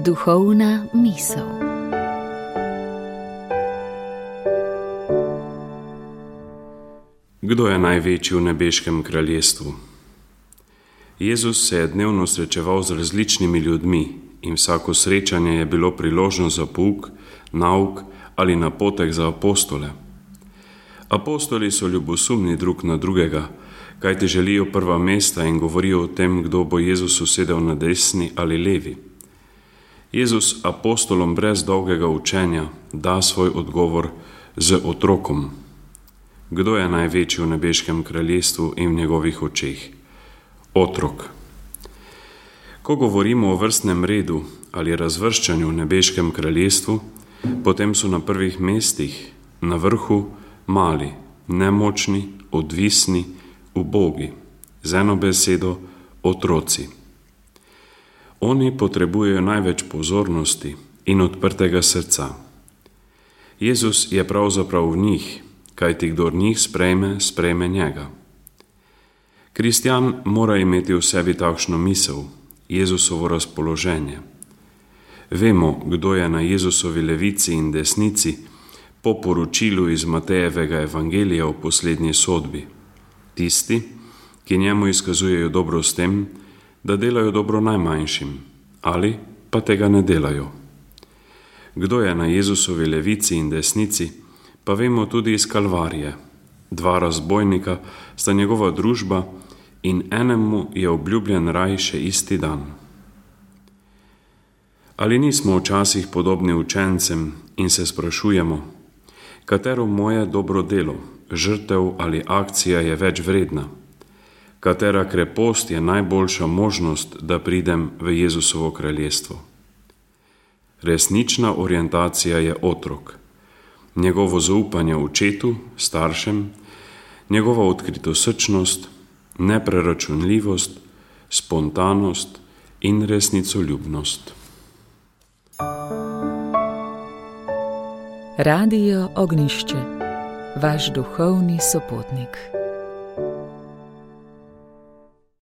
Duhovna misel. Kdo je največji v nebeškem kraljestvu? Jezus se je dnevno srečeval z različnimi ljudmi in vsako srečanje je bilo priložnost za pouk, nauk ali napotek za apostole. Apostoli so ljubosumni drug na drugega, kajti želijo prva mesta in govorijo o tem, kdo bo Jezusu sedel na desni ali levi. Jezus apostolom brez dolgega učenja da svoj odgovor z otrokom. Kdo je največji v nebeškem kraljestvu in v njegovih očeh? Otrok. Ko govorimo o vrstnem redu ali razvrščanju v nebeškem kraljestvu, potem so na prvih mestih, na vrhu, mali, nemočni, odvisni, ubogi, z eno besedo otroci. Oni potrebujejo največ pozornosti in odprtega srca. Jezus je pravzaprav v njih, kajti kdor njih sprejme, sprejme njega. Kristjan mora imeti v sebi takšno misel, Jezusovo razpoloženje. Vemo, kdo je na Jezusovi levici in desnici po poročilu iz Matejevega evangelija o poslednji sodbi. Tisti, ki njemu izkazujejo dobro s tem, da delajo dobro najmanjšim, ali pa tega ne delajo. Kdo je na Jezusovi levici in desnici, pa vemo tudi iz Kalvarije. Dva razbojnika sta njegova družba in enemu je obljubljen raj še isti dan. Ali nismo včasih podobni učencem in se sprašujemo, katero moje dobro delo, žrtev ali akcija je več vredna? Katera krepost je najboljša možnost, da pridem v Jezusovo kraljestvo? Resnična orientacija je otrok. Njegovo zaupanje očetu, staršem, njegova odkritosrčnost, nepreračunljivost, spontanost in resnicoljubnost. Radio Ognjišče, vaš duhovni sopotnik.